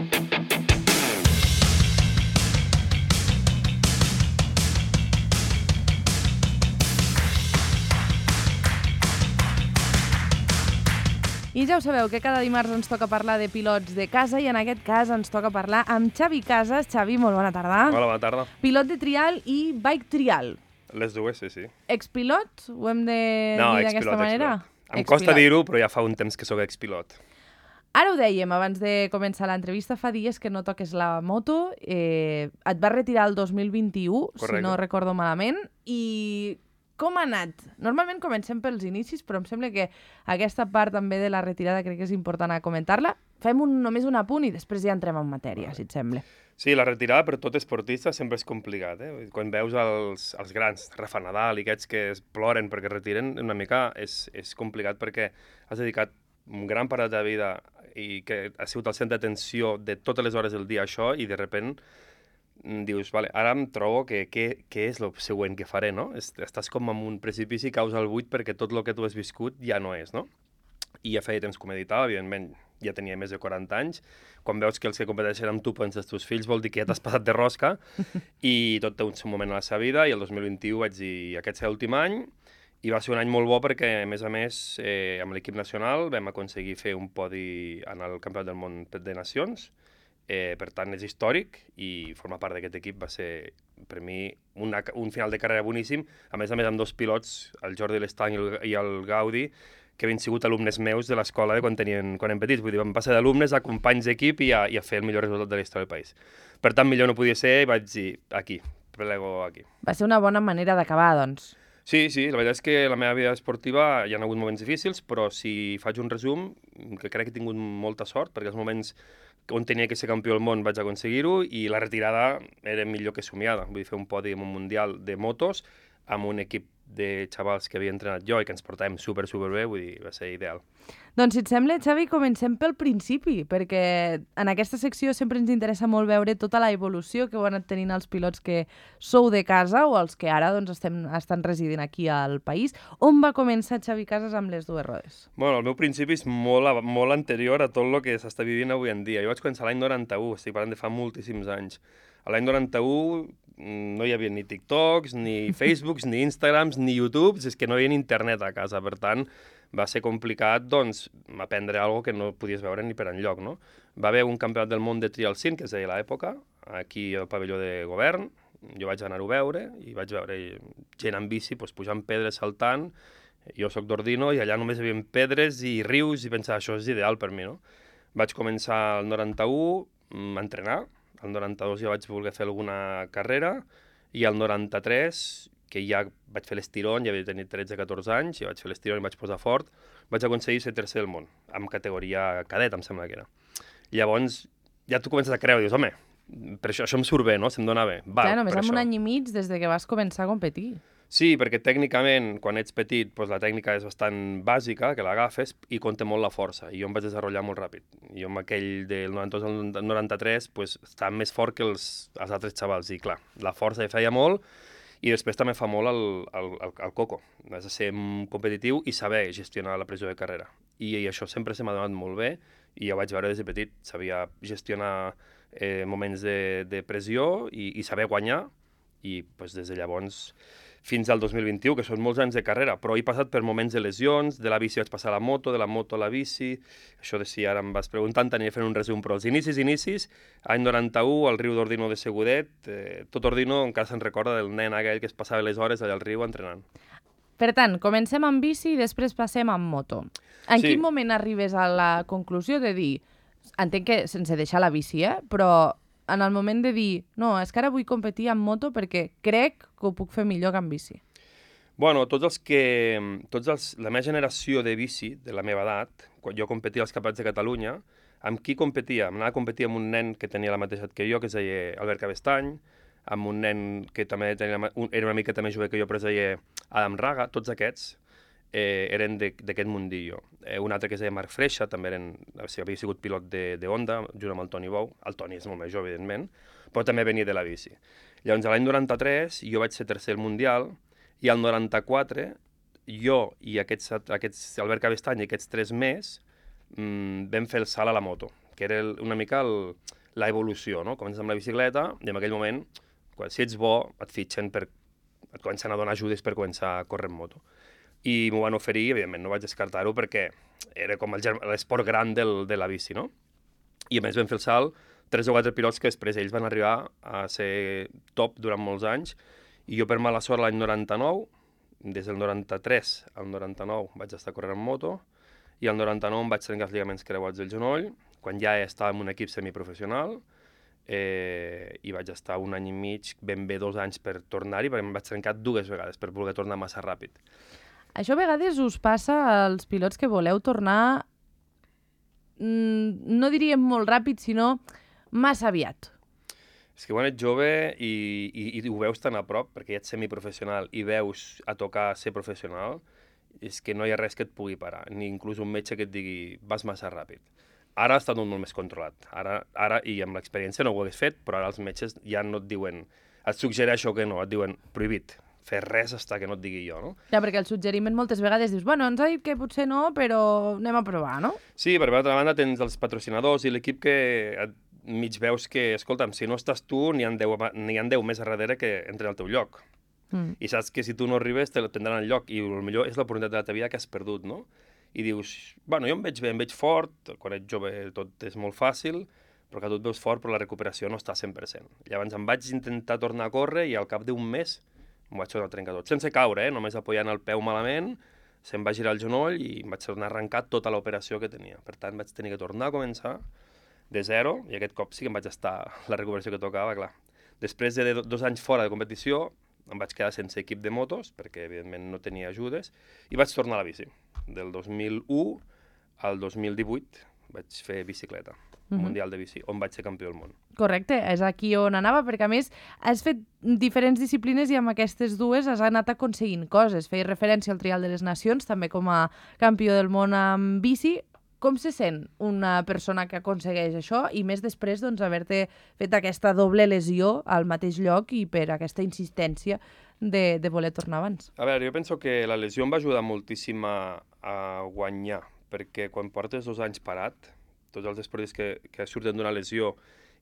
I ja ho sabeu, que cada dimarts ens toca parlar de pilots de casa i en aquest cas ens toca parlar amb Xavi Casas. Xavi, molt bona tarda. Hola, bona tarda. Pilot de trial i bike trial. Les dues, sí. Expilot? Ho hem de dir d'aquesta manera? Em costa dir-ho, però ja fa un temps que sóc expilot. Ara ho dèiem, abans de començar l'entrevista, fa dies que no toques la moto. Et vas retirar el 2021, Correcte. si no recordo malament, i com ha anat? Normalment comencem pels inicis, però em sembla que aquesta part també de la retirada crec que és important a comentar-la. Fem només un apunt i després ja entrem en matèria, si et sembla. Sí, la retirada per tot esportista sempre és complicat. Quan veus els grans, Rafa Nadal i aquests que es ploren perquè es retiren, una mica és complicat perquè has dedicat un gran part de la teva vida i que ha sigut el centre d'atenció de totes les hores del dia a això i de sobte dius, vale, ara em trobo que què és el següent que faré, no? Estàs com en un precipici i caus al buit perquè tot el que tu has viscut ja no és, no? I ja feia temps que ho meditava, evidentment, ja tenia més de 40 anys. Quan veus que els que competeixen amb tu penses els teus fills, vol dir que ja t'has passat de rosca i tot té un seu moment a la seva vida i el 2021 vaig dir, aquest serà l'últim any i va ser un any molt bo perquè, a més, amb l'equip nacional vam aconseguir fer un podi en el Campionat del Món de Nacions. Per tant, és històric i formar part d'aquest equip va ser, per mi, un final de carrera boníssim, a més amb dos pilots, el Jordi Lestany i el Gaudi, que havien sigut alumnes meus de l'escola quan érem petits. Vull dir, vam passar d'alumnes a companys d'equip i a fer el millor resultat de la història del país. Per tant, millor no podia ser i vaig dir, aquí, plego aquí. Va ser una bona manera d'acabar, doncs. Sí, la veritat és que la meva vida esportiva hi ha hagut moments difícils, però si faig un resum, que crec que he tingut molta sort, perquè els moments on tenia que ser campió del món vaig aconseguir-ho i la retirada era millor que somiada. Vull dir, fer un podi en un mundial de motos amb un equip de xavals que havia entrenat jo i que ens portàvem superbé, vull dir, va ser ideal. Doncs, si et sembla, Xavi, comencem pel principi, perquè en aquesta secció sempre ens interessa molt veure tota la evolució que heu anat tenint els pilots que sou de casa o els que ara estan residint aquí al país. On va començar Xavi Casas amb les dues rodes? Bueno, el meu principi és molt anterior a tot el que s'està vivint avui en dia. Jo vaig començar l'any 91, estic parlant de fa moltíssims anys. A l'any 91 no hi havia ni TikToks, ni Facebooks, ni Instagrams, ni YouTubes, és que no hi havia internet a casa, per tant, va ser complicat, doncs, aprendre alguna cosa que no podies veure ni per enlloc, no? Va haver un campionat del món de trial sim, que es deia a l'època, aquí al pavelló de govern, jo vaig anar-ho a veure, i vaig veure gent en bici, pujant pedres, saltant, jo sóc d'Ordino, i allà només hi havia pedres i rius, i pensava, això és ideal per mi, no? Vaig començar el 91 a entrenar, el 92 ja vaig voler fer alguna carrera, i el 93, que ja vaig fer l'estirón, ja havia tenir 13-14 anys, ja vaig fer l'estirón i vaig posar fort, vaig aconseguir ser tercer del món, amb categoria cadet, em sembla que era. Llavors, ja tu comences a creure, dius, home, per això em surt bé, no? Se'm dona bé. Clar, només amb un any i mig des de que vas començar a competir. Sí, perquè tècnicament, quan ets petit, la tècnica és bastant bàsica, que l'agafes, i compta molt la força, i jo em vaig desenvolupar molt ràpid. Jo amb aquell del 92 al 93 estava més fort que els altres xavals, i clar, la força hi feia molt, i després també fa molt el coco. Has de ser competitiu i saber gestionar la pressió de carrera. I això sempre se m'ha donat molt bé, i ja ho vaig veure des de petit. Sabia gestionar moments de pressió i saber guanyar, i des de llavors fins al 2021, que són molts anys de carrera, però he passat per moments de lesions, de la bici vaig passar a la moto, de la moto a la bici, això de si ara em vas preguntant, tenia fent un resum, però els inicis, any 91, al riu d'Ordino de Segudet, tot Ordino encara se'n recorda del nen aquell que es passava les hores allà al riu entrenant. Per tant, comencem amb bici i després passem amb moto. En quin moment arribes a la conclusió de dir, entenc que sense deixar la bici, però en el moment de dir, no, és que ara vull competir amb moto perquè crec que ho puc fer millor que amb bici? Bueno, la meva generació de bici, de la meva edat, quan jo competia als Campionats de Catalunya, amb qui competia? M'anava a competir amb un nen que tenia la mateixa edat que jo, que es deia Albert Cabestany, amb un nen que també era una mica també jove que jo, però es deia Adam Raga, tots aquests eren d'aquest mundillo. Un altre que es deia Marc Freixa, també havia sigut pilot de Honda, junt amb el Toni Bou. El Toni és molt més jove, evidentment, però també venia de la bici. Llavors, l'any 93, jo vaig ser tercer al Mundial, i al 94, jo i aquests Albert Cabestany i aquests tres més vam fer el salt a la moto, que era una mica la evolució, no? Comences amb la bicicleta i en aquell moment, si ets bo, et fitxen et comencen a donar ajudes per començar a córrer en moto. I m'ho van oferir, evidentment no vaig descartar-ho perquè era com l'esport gran de la bici, no? I a més vam fer el salt 3 o 4 pilots que després ells van arribar a ser top durant molts anys i jo per mala sort l'any 99, des del 93 al 99 vaig estar corrent en moto i al 99 em vaig trencar els lligaments creuats del genoll, quan ja estava en un equip semiprofessional, i vaig estar 1 any i mig, ben bé 2 anys per tornar-hi, perquè em vaig trencar 2 vegades per voler tornar massa ràpid. Això a vegades us passa als pilots que voleu tornar, no diríem molt ràpid, sinó massa aviat. És que quan ets jove i ho veus tan a prop, perquè ja ets semiprofessional i veus a tocar ser professional, és que no hi ha res que et pugui parar, ni inclús un metge que et digui vas massa ràpid. Ara està tot molt més controlat. Ara i amb l'experiència no ho hagués fet, però ara els metges ja no et diuen, et suggereixo que no, et diuen prohibit, fer res fins que no et digui jo, no? Ja, perquè el suggeriment moltes vegades dius, bueno, ens ha dit que potser no, però anem a provar, no? Sí, per l'altra banda tens els patrocinadors i l'equip que mig veus que, escolta'm, si no estàs tu, n'hi ha 10 més a darrere que entren al teu lloc. I saps que si tu no arribes te prendran al lloc i potser és l'oportunitat de la teva vida que has perdut, no? I dius, bueno, jo em veig bé, em veig fort, quan ets jove tot és molt fàcil, però que tu et veus fort però la recuperació no està 100%. Llavors em vaig intentar tornar a córrer i al cap d'un mes m'ho vaig tornar a trencar tot, sense caure, només apoyant el peu malament, se'm va girar el genoll i em vaig tornar a arrencar tota l'operació que tenia. Per tant, vaig tenir que tornar a començar de zero i aquest cop sí que em vaig estar la recuperació que tocava, clar. Després de 2 anys fora de competició, em vaig quedar sense equip de motos, perquè evidentment no tenia ajudes, i vaig tornar a la bici. Del 2001 al 2018 vaig fer bicicleta, Mundial de Bici, on vaig ser campió del món. Correcte, és aquí on anava, perquè a més has fet diferents disciplines i amb aquestes dues has anat aconseguint coses. Feies referència al Trial de les Nacions, també com a campió del món amb bici. Com se sent una persona que aconsegueix això i més després haver-te fet aquesta doble lesió al mateix lloc i per aquesta insistència de voler tornar abans? A veure, jo penso que la lesió em va ajudar moltíssim a guanyar, perquè quan portes 2 anys parat, tots els esportistes que surten d'una lesió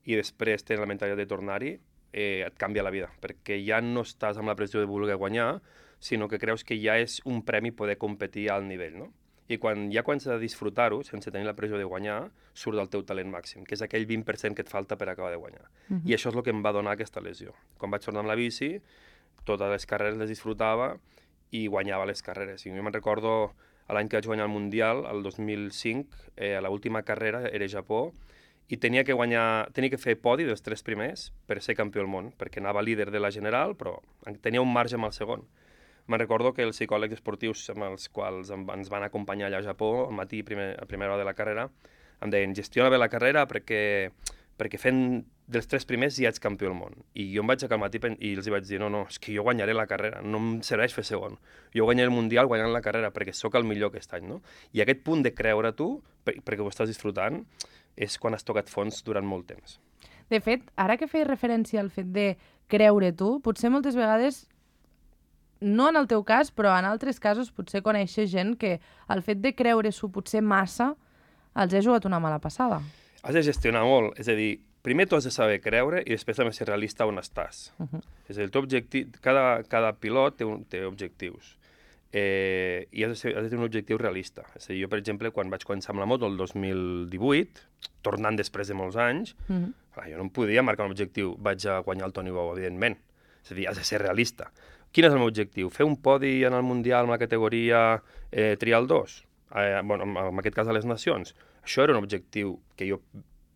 i després tenen la mentalitat de tornar-hi, et canvia la vida, perquè ja no estàs amb la pressió de voler guanyar, sinó que creus que ja és un premi poder competir al nivell, no? I quan ja comences a disfrutar-ho, sense tenir la pressió de guanyar, surt el teu talent màxim, que és aquell 20% que et falta per acabar de guanyar. I això és el que em va donar aquesta lesió. Quan vaig tornar amb la bici, totes les carreres les disfrutava i guanyava les carreres. I jo me'n recordo l'any que vaig guanyar el Mundial, el 2005, a l'última carrera era a Japó, i tenia que fer podi dels 3 primers per ser campió del món, perquè anava líder de la general, però tenia un marge amb el segon. Me'n recordo que els psicòlegs esportius amb els quals ens van acompanyar allà a Japó, al matí, a primera hora de la carrera, em deien, gestiona bé la carrera perquè fent dels 3 primers ja ets campió del món. I jo em vaig aixecar al matí i els vaig dir, no, és que jo guanyaré la carrera, no em serveix fer segon. Jo guanyaré el Mundial guanyant la carrera perquè sóc el millor aquest any, no? I aquest punt de creure tu, perquè ho estàs disfrutant, és quan has tocat fons durant molt temps. De fet, ara que feies referència al fet de creure tu, potser moltes vegades, no en el teu cas, però en altres casos potser coneixes gent que el fet de creure-s'ho potser massa els ha jugat una mala passada. Has de gestionar molt, és a dir, primer tu has de saber creure i després també ser realista on estàs. És a dir, el teu objectiu, cada pilot té objectius i has de tenir un objectiu realista. És a dir, jo, per exemple, quan vaig començar amb la moto el 2018, tornant després de molts anys, jo no em podia marcar un objectiu, vaig a guanyar el Toni Bou, evidentment. És a dir, has de ser realista. Quin és el meu objectiu? Fer un podi en el Mundial amb la categoria Trial 2? En aquest cas a les Nacions. Això era un objectiu que jo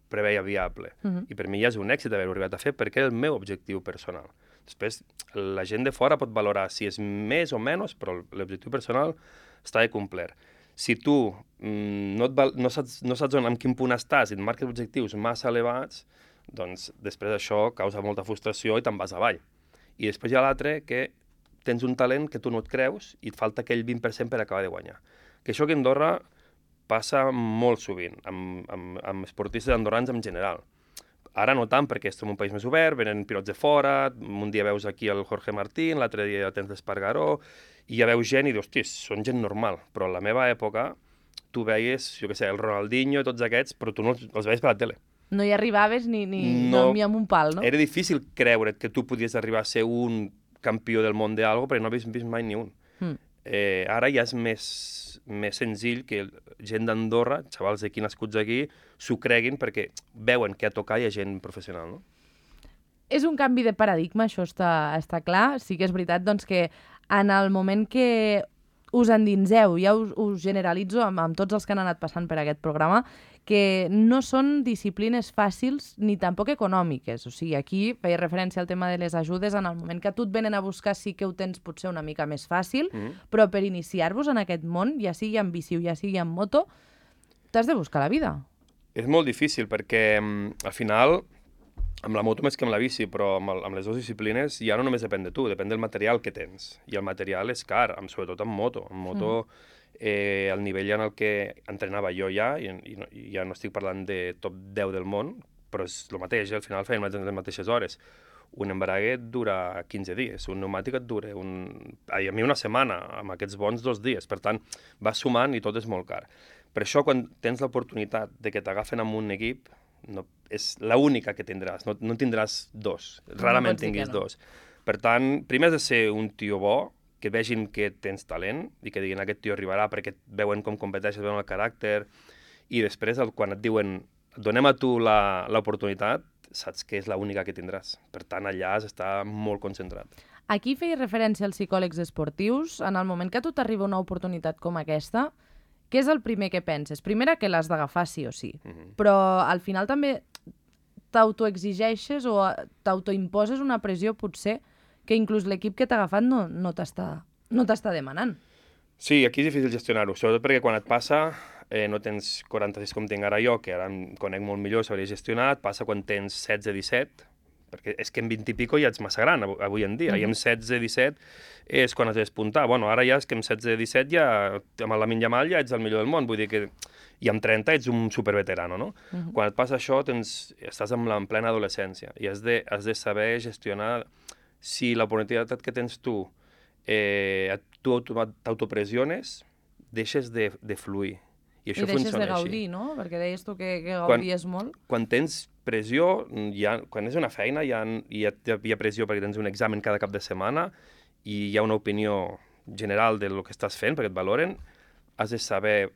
preveia viable. I per mi ja és un èxit haver-ho arribat a fer perquè era el meu objectiu personal. Després, la gent de fora pot valorar si és més o menys, però l'objectiu personal està complert. Si tu no saps en quin punt estàs i et marques objectius massa elevats, doncs després això causa molta frustració i te'n vas avall. I després hi ha l'altre que tens un talent que tu no et creus i et falta aquell 20% per acabar de guanyar. Que això que a Andorra passa molt sovint, amb esportistes andorrans en general. Ara no tant, perquè estem en un país més obert, venen pilots de fora, un dia veus aquí el Jorge Martín, l'altre dia tens l'Espargaró, i ja veus gent i dius, hòstia, són gent normal. Però a la meva època tu veies, jo què sé, el Ronaldinho i tots aquests, però tu no els veies per la tele. No hi arribaves ni amb un pal, no? Era difícil creure't que tu podies arribar a ser un campió del món d'algo perquè no havies vist mai ni un. Ara ja és més senzill que gent d'Andorra, xavals d'aquí nascuts aquí, s'ho creguin perquè veuen que a tocar hi ha gent professional, no? És un canvi de paradigma, això està clar. Sí que és veritat doncs, que en el moment que us endinseu, ja us generalitzo amb tots els que han anat passant per aquest programa, que no són disciplines fàcils ni tampoc econòmiques. O sigui, aquí feia referència al tema de les ajudes, en el moment que tu et venen a buscar sí que ho tens potser una mica més fàcil, però per iniciar-vos en aquest món, ja sigui en bici o ja sigui en moto, t'has de buscar la vida. És molt difícil perquè al final, amb la moto més que amb la bici, però amb les dues disciplines ja no només depèn de tu, depèn del material que tens. I el material és car, sobretot en moto. En moto el nivell en el que entrenava jo ja, i ja no estic parlant de top 10 del món, però és el mateix, al final feien les mateixes hores. Un embrague et dura 15 dies, un pneumàtic et dura a mi una setmana, amb aquests bons 2 dies. Per tant, vas sumant i tot és molt car. Per això, quan tens l'oportunitat de que t'agafen amb un equip, és l'única que tindràs, no tindràs dos, rarament tinguis dos. Per tant, primer has de ser un tio bo, que vegin que tens talent i que diguin aquest tio arribarà perquè veuen com competeixes, veuen el caràcter, i després, quan et diuen donem a tu l'oportunitat, saps que és l'única que tindràs. Per tant, allà has d'estar molt concentrat. Aquí feia referència als psicòlegs esportius. En el moment que a tu t'arriba una oportunitat com aquesta, què és el primer que penses? Primera, que l'has d'agafar sí o sí. Però al final també t'autoexigeixes o t'autoimposes una pressió, potser, que inclús l'equip que t'ha agafat no t'està demanant. Sí, aquí és difícil gestionar-ho, sobretot perquè quan et passa no tens 46 com tinc ara jo, que ara em conec molt millor, s'hauria gestionat, passa quan tens 16-17, perquè és que en 20 i pico ja ets massa gran avui en dia, i amb 16-17 és quan has d'espuntar. Bueno, ara ja és que amb 16-17 ja, amb la Lamine Yamal ja ets el millor del món, vull dir que i amb 30 ets un superveterano, no? Quan et passa això, estàs en plena adolescència i has de saber gestionar si l'oportunitat que tens tu t'autopressiones, deixes de fluir. I això deixes funciona de gaudir, així. no? Perquè deies tu que gaudies molt. Quan tens pressió, quan és una feina, hi ha pressió perquè tens un examen cada cap de setmana i hi ha una opinió general del que estàs fent, perquè et valoren, has de saber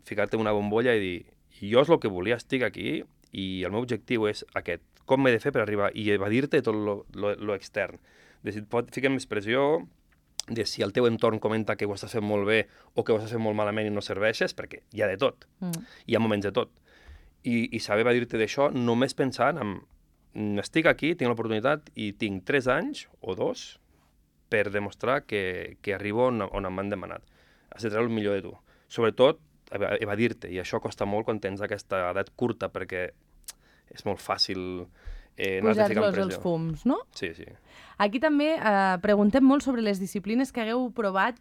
ficar-te una bombolla i dir jo és el que volia, estic aquí i el meu objectiu és aquest. Com m'he de fer per arribar i evadir-te tot lo extern. Si et pot ficar més pressió de si el teu entorn comenta que ho estàs fent molt bé o que ho estàs fent molt malament i no serveixes, perquè hi ha de tot. Hi ha moments de tot. I saber evadir-te d'això només pensant en estic aquí, tinc l'oportunitat i tinc 3 anys o 2 per demostrar que arribo on m'han demanat. Has de treure el millor de tu. Sobretot, evadir-te, i això costa molt quan tens aquesta edat curta, perquè és molt fàcil pujar-los els fums, no? Sí, sí. Aquí també preguntem molt sobre les disciplines que hagueu provat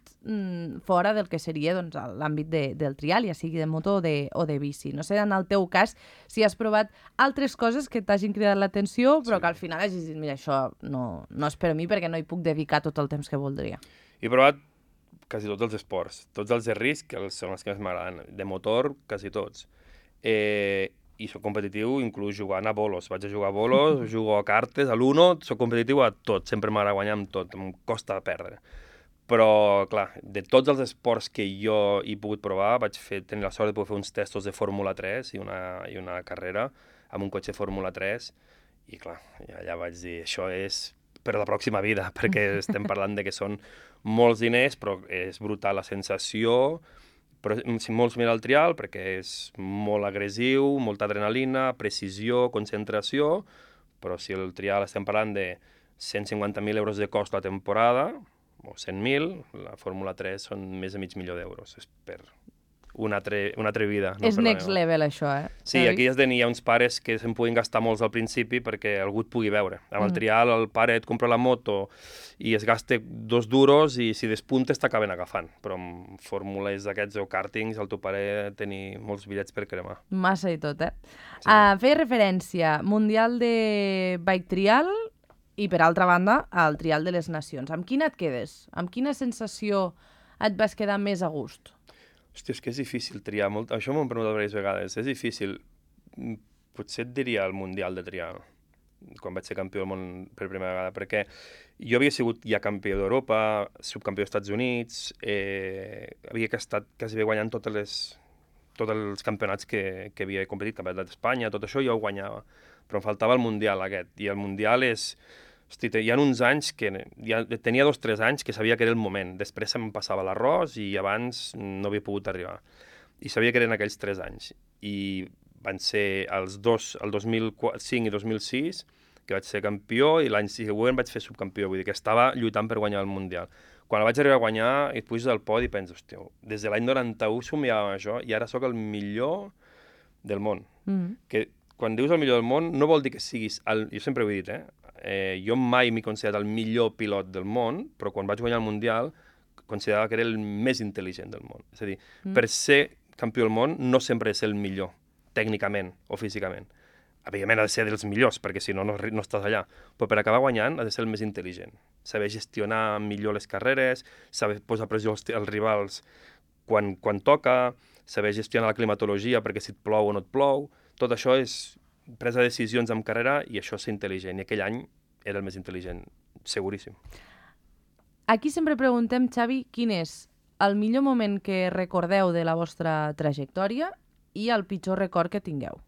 fora del que seria doncs, l'àmbit del trial, ja sigui de moto o de bici. No sé, en el teu cas, si has provat altres coses que t'hagin cridat l'atenció, però que al final hagis dit, mira, això no és per a mi perquè no hi puc dedicar tot el temps que voldria. He provat quasi tots els esports, tots els de risc, que són els que més m'agraden. De motor, quasi tots. I soc competitiu inclús jugant a bolos. Vaig a jugar a bolos, jugo a cartes, a l'Uno, soc competitiu a tot, sempre m'agrada guanyar amb tot, em costa perdre. Però, clar, de tots els esports que jo he pogut provar, vaig tenir la sort de poder fer uns testos de Fórmula 3 i una carrera amb un cotxe Fórmula 3, i clar, allà vaig dir, això és per a la pròxima vida, perquè estem parlant de que són molts diners, però és brutal la sensació. Però si molts mira el trial, perquè és molt agressiu, molta adrenalina, precisió, concentració, però si el trial estem parlant de 150.000 euros de cost la temporada, o 100.000, la Fórmula 3 són més de $500.000. És per una altra vida. No és next level, això, Sí, aquí hi ha uns pares que se'n puguin gastar molts al principi perquè algú et pugui veure. Amb el trial, el pare et compra la moto i es gasta 2 duros i si despuntes t'acaben agafant. Però amb fórmules d'aquests o càrtings, el teu pare tenir molts bitllets per cremar. Massa i tot, Sí. Feia referència Mundial de Bike Trial i, per altra banda, al Trial de les Nacions. Amb quina et quedes? Amb quina sensació et vas quedar més a gust? Hòstia, és que és difícil triar. Això m'ho han preguntat diverses vegades. És difícil. potser et diria el Mundial de trial, quan vaig ser campió del món per primera vegada, perquè jo havia sigut ja campió d'Europa, subcampió dels Estats Units, havia estat quasi bé guanyant tots els campionats que havia competit, campionat d'Espanya, tot això jo ho guanyava, però em faltava el Mundial aquest, i el Mundial és... Hosti, hi ha uns anys que... Tenia 2 o 3 anys que sabia que era el moment, després se'm passava l'arròs i abans no havia pogut arribar. I sabia que eren aquells 3 anys. I van ser els dos, el 2005 i 2006, que vaig ser campió, i l'any següent vaig fer subcampió, vull dir que estava lluitant per guanyar el Mundial. Quan el vaig arribar a guanyar, i et puges al podi i penses, hòstia, des de l'any 91 somiava amb això, i ara sóc el millor del món. Que quan dius el millor del món, no vol dir que siguis... Jo sempre ho he dit, jo mai m'he considerat el millor pilot del món, però quan vaig guanyar el Mundial, considerava que era el més intel·ligent del món. És a dir, per ser campió del món no sempre és el millor, tècnicament o físicament. Evidentment ha de ser dels millors, perquè si no, no estàs allà. Però per acabar guanyant ha de ser el més intel·ligent. Saber gestionar millor les carreres, saber posar pressió als rivals quan toca, saber gestionar la climatologia perquè si et plou o no et plou. Tot això és presa de decisions en carrera i això és ser intel·ligent. I aquell any era el més intel·ligent, seguríssim. Aquí sempre preguntem, Xavi, quin és el millor moment que recordeu de la vostra trajectòria i el pitjor record que tingueu.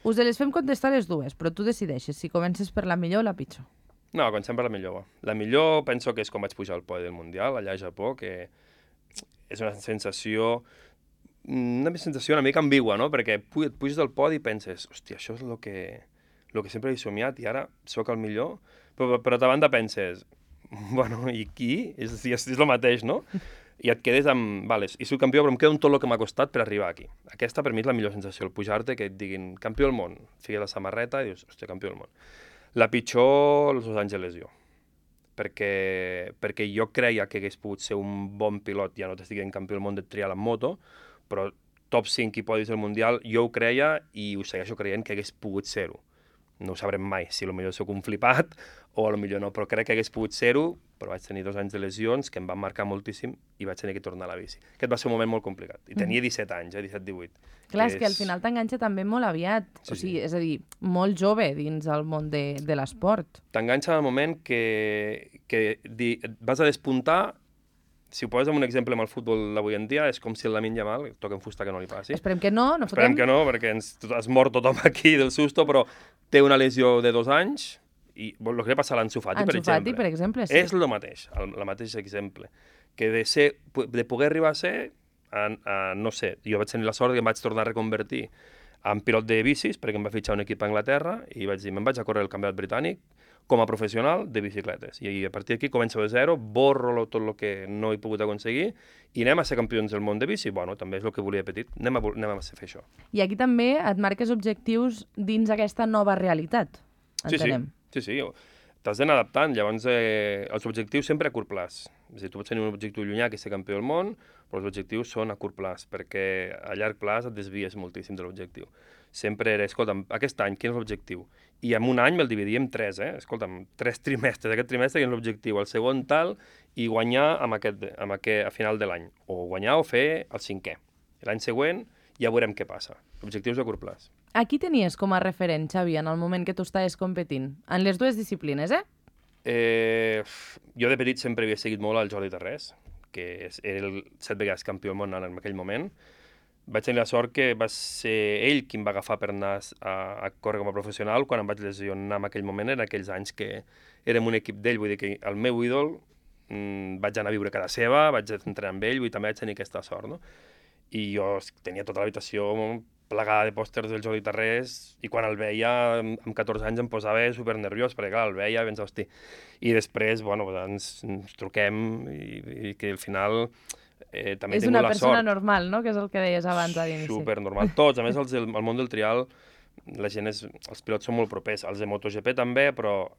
Us les fem contestar les dues, però tu decideixes si comences per la millor o la pitjor. No, comencem per la millor. La millor penso que és quan vaig pujar al podi del Mundial, allà a Japó, que és una sensació una mica ambigua, no? Perquè et puges del podi i penses, hòstia, això és el que sempre he somiat i ara sóc el millor, però per altra banda penses, bueno, i qui? És el mateix, no? I et quedes amb... Vale, i soc campió, però em quedo amb tot el que m'ha costat per arribar aquí. Aquesta, per mi, és la millor sensació, el pujar-te, que et diguin campió del món, fiques la samarreta i dius, hòstia, campió del món. La pitjor, els 2 anys de lesió. Perquè jo creia que hagués pogut ser un bon pilot, ja no t'estic dient campió del món de trial en moto, però top 5 i podis del Mundial, jo ho creia i ho segueixo creient que hagués pogut ser-ho. No ho sabrem mai, si potser sóc un flipat o potser no, però crec que hagués pogut ser-ho, però vaig tenir 2 anys de lesions que em van marcar moltíssim i vaig tenir que tornar a la bici. Aquest va ser un moment molt complicat. I tenia 17 anys, 17-18. Clar, és que al final t'enganxa també molt aviat. O sigui, és a dir, molt jove dins el món de l'esport. T'enganxa en el moment que vas a despuntar. Si ho poses en un exemple amb el futbol d'avui en dia, és com si el Lamine Yamal, toquem fusta que no li passi. Esperem que no, no Esperem que no, perquè es mor tothom aquí del susto, però té una lesió de 2 anys i el que li passa a l'Ansu Fati, per exemple. Ansu Fati, per exemple, sí. És el mateix, el mateix exemple. Que de poder arribar a ser, no sé, jo vaig tenir la sort que em vaig tornar a reconvertir en pilot de bicis, perquè em va fitxar un equip a Anglaterra, i vaig dir, me'n vaig a córrer el campionat britànic, com a professional de bicicletes. I a partir d'aquí començo de zero, borro tot el que no he pogut aconseguir i anem a ser campions del món de bici. Bueno, també és el que volia petit. Anem a fer això. I aquí també et marques objectius dins aquesta nova realitat, entenem. Sí. T'has d'anar adaptant. Llavors, els objectius sempre a curt plaç. És a dir, tu pots tenir un objectiu llunyà, que és ser campió del món, però els objectius són a curt plaç, perquè a llarg plaç et desvies moltíssim de l'objectiu. Sempre era, escolta'm, aquest any, quin és l'objectiu? I en un any me'l dividia en 3, Escolta'm, 3 trimestres, aquest trimestre quin és l'objectiu? El segon tal, i guanyar a final de l'any. O guanyar o fer el 5è. L'any següent ja veurem què passa. Objectius a curt plaç. A qui tenies com a referent, Xavi, en el moment que tu estaves competint? En les dues disciplines, Jo de petit sempre havia seguit molt el Jordi Tarrés, que era el 7 vegades campió del món en aquell moment. Vaig tenir la sort que va ser ell qui em va agafar per anar a córrer com a professional quan em vaig lesionar en aquell moment, en aquells anys que érem un equip d'ell, vull dir que el meu ídol vaig anar a viure a casa seva, vaig entrenar amb ell, i també vaig tenir aquesta sort, no? I jo tenia tota l'habitació plegada de pòsters del Jordi Tarrés i quan el veia amb 14 anys em posava supernerviós perquè clar, el veia i pensava, hosti. I després, bueno, ens truquem i que al final també és tinc la sort. una persona normal, no?, que és el que deies abans a l'inici. Supernormal. Tots, a més, el món del trial, la gent els pilots són molt propers. Els de MotoGP també, però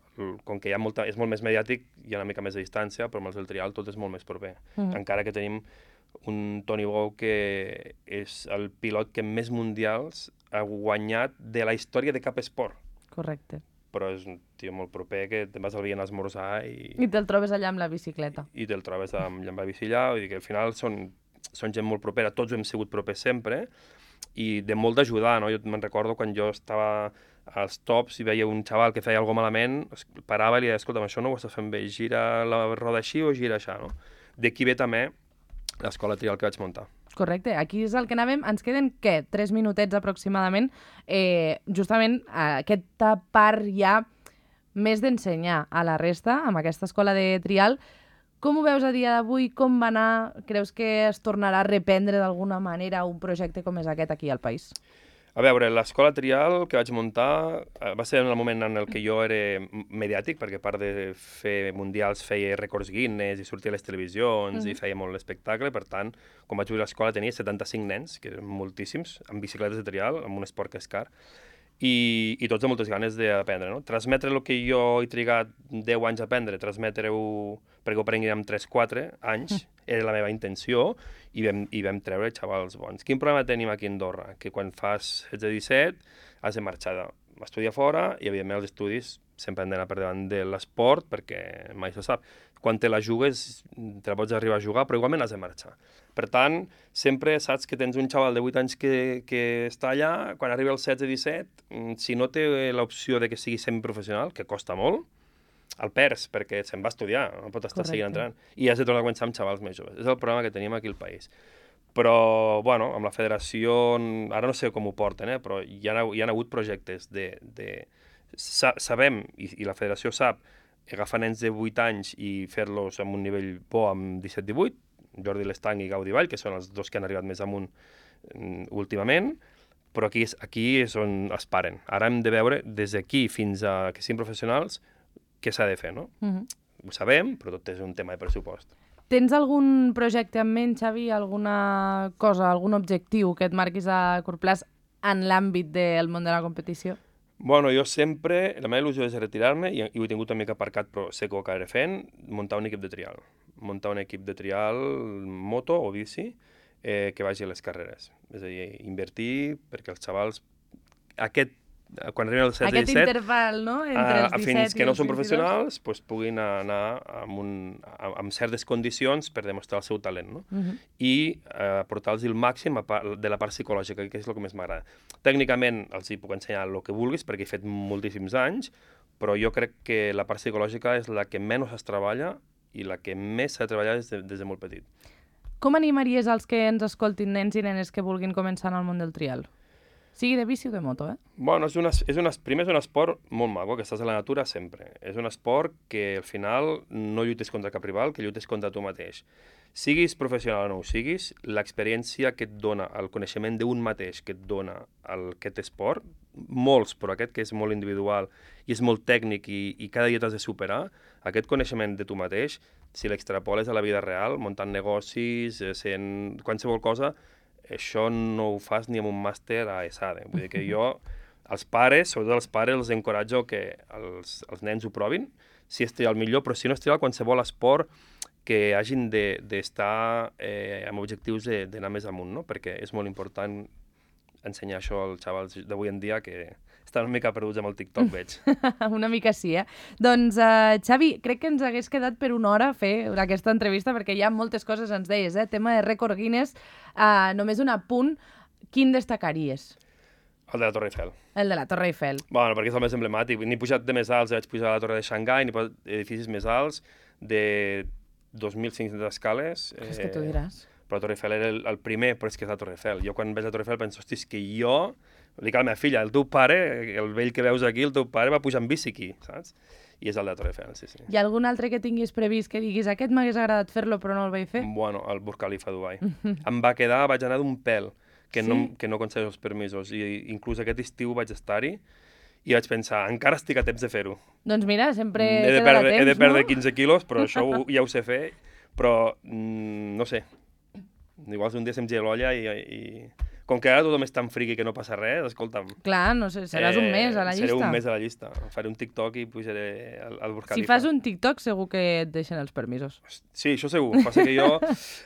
com que és molt més mediàtic, hi ha una mica més de distància, però amb els del trial tot és molt més proper. Encara que tenim un Toni Bou que és el pilot que més mundials ha guanyat de la història de cap esport. Correcte. Però és un tio molt proper que te'n vas al dia a esmorzar i te'l trobes allà amb la bicicleta. I te'l trobes amb la bici allà, vull dir que al final són gent molt propera, tots hem sigut propers sempre, i de molt d'ajudar, no? Jo me'n recordo quan jo estava als tops i veia un xaval que feia alguna malament, parava i li deia, escolta, això no ho estàs fent bé, gira la roda així o gira això, no? D'aquí ve també l'escola trial que vaig muntar. Correcte, aquí és el que anàvem. Ens queden, què, 3 minutets aproximadament. Justament aquesta part ja més d'ensenyar a la resta, amb aquesta escola de trial. Com ho veus a dia d'avui? Com va anar? Creus que es tornarà a reprendre d'alguna manera un projecte com és aquest aquí al país? A veure, l'escola trial que vaig muntar va ser en el moment en el que jo era mediàtic, perquè a part de fer mundials feia rècords Guinness i sortia a les televisions i feia molt l'espectacle. Per tant, quan vaig obrir l'escola tenia 75 nens, que eren moltíssims, amb bicicletes de trial, amb un esport que és car, i tots amb moltes ganes d'aprendre, no? Transmetre el que jo he trigat 10 anys a aprendre, transmetre-ho perquè ho aprengui amb 3-4 anys, era la meva intenció, i vam treure xavals bons. Quin problema tenim aquí a Andorra? Que quan fas 16-17 has de marxar a estudiar fora i, evidentment, els estudis sempre han d'anar per davant de l'esport perquè mai se sap. Quan te la jugues, te la pots arribar a jugar, però igualment has de marxar. Per tant, sempre saps que tens un xaval de 8 anys que està allà, quan arriba als 16-17, si no té l'opció de que sigui semiprofessional, que costa molt, el perds perquè se'n va estudiar, no pot estar seguint entrenant, i has de tornar a començar amb xavals més joves. És el problema que tenim aquí al país. Però, bueno, amb la federació, ara no sé com ho porten, però hi ha hagut projectes sabem, i la federació sap, agafar nens de 8 anys i fer-los amb un nivell bo amb 17-18, Jordi Lestang i Gaudi Vall, que són els dos que han arribat més amunt últimament, però aquí és on es paren. Ara hem de veure, des d'aquí fins a que siguin professionals, què s'ha de fer, no? Ho sabem, però tot és un tema de pressupost. Tens algun projecte en ment, Xavi? Alguna cosa, algun objectiu que et marquis a curt plaç en l'àmbit del món de la competició? Bueno, jo sempre, la meva il·lusió és retirar-me, i ho he tingut una mica aparcat, però sé que ho acabaré fent, muntar un equip de trial. Muntar un equip de trial, moto o bici, que vagi a les carreres. És a dir, invertir perquè els xavals, quan arriben als 17 i 17... Aquest interval, no?, entre els 17 fins que no són 22. professionals, puguin anar amb certes condicions per demostrar el seu talent, no? I aportar-los el màxim de la part psicològica, que és el que més m'agrada. Tècnicament els hi puc ensenyar el que vulguis, perquè he fet moltíssims anys, però jo crec que la part psicològica és la que menys es treballa i la que més s'ha de treballar des de molt petit. Com animaries els que ens escoltin, nens i nenes que vulguin començar en el món del trial? Sigui de bici o de moto, Bueno, primer és un esport molt maco, que estàs a la natura sempre. És un esport que al final no lluites contra cap rival, que lluites contra tu mateix. Siguis professional o no ho siguis, l'experiència que et dona, el coneixement d'un mateix que et dona aquest esport, molts, però aquest que és molt individual i és molt tècnic i cada dia t'has de superar, aquest coneixement de tu mateix, si l'extrapoles a la vida real, muntant negocis, sent qualsevol cosa, això no ho fas ni amb un màster a ESADE. Vull dir que jo, els pares, sobretot els pares, els encoratjo que els nens ho provin, si és trial millor, però si no és trial, qualsevol esport que hagin d'estar amb objectius d'anar més amunt, no? Perquè és molt important ensenyar això als xavals d'avui en dia, que estan una mica perduts amb el TikTok, veig. Una mica sí, Doncs, Xavi, crec que ens hagués quedat per una hora fer aquesta entrevista, perquè hi ha moltes coses, ens deies, tema de rècord Guinness, només un apunt, quin destacaries? El de la Torre Eiffel. El de la Torre Eiffel. Bueno, perquè és el més emblemàtic. N'he pujat de més alts, vaig pujar a la Torre de Xangai, n'he pujat edificis més alts, de 2.500 escales. És que tu diràs. Però la Torre Eiffel era el primer, però és que és la Torre Eiffel. Jo quan veig la Torre Eiffel penso, hosti, és que jo, dic a la meva filla, el teu pare, el vell que veus aquí, el teu pare va pujar en bici aquí, saps? I és el de la Torre Eiffel, sí. Hi ha algun altre que tinguis previst que diguis aquest m'hagués agradat fer-lo però no el vaig fer? Bueno, el Burj Khalifa a Dubai. Em va quedar, vaig anar d'un pèl, que no aconsegueix els permisos, i inclús aquest estiu vaig estar-hi, i vaig pensar, encara estic a temps de fer-ho. Doncs mira, sempre quedarà temps, no? He de perdre 15 quilos, però això ja ho sé fer, però no sé. Igual un dia se'm gira l'olla i com que ara tothom és tan friqui que no passa res, escolta'm... Clar, no sé, seràs un mes a la llista. Seré un mes a la llista. Faré un TikTok i pujaré al Burj Khalifa. Si fas un TikTok segur que et deixen els permisos. Sí, això segur. Passa que jo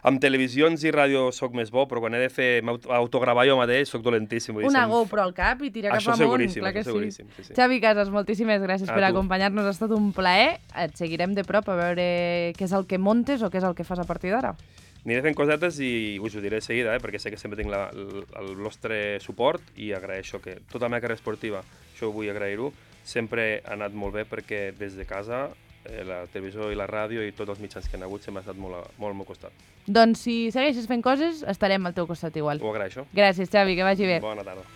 amb televisions i ràdio sóc més bo, però quan he de fer autogravar jo mateix sóc dolentíssim. Una GoPro al cap i tirar cap amunt. Clar que sí. Xavi Casas, moltíssimes gràcies per acompanyar-nos. Ha estat un plaer. Et seguirem de prop a veure què és el que montes o què és el que fas a partir d'ara. Aniré fent cosetes i us ho diré de seguida, perquè sé que sempre tinc el vostre suport i agraeixo que tota la meva carrera esportiva, això ho vull agrair-ho, sempre ha anat molt bé perquè des de casa la televisió i la ràdio i tots els mitjans que han hagut sempre ha estat molt al meu costat. Doncs si segueixes fent coses, estarem al teu costat igual. Ho agraeixo. Gràcies, Xavi, que vagi bé. Bona tarda.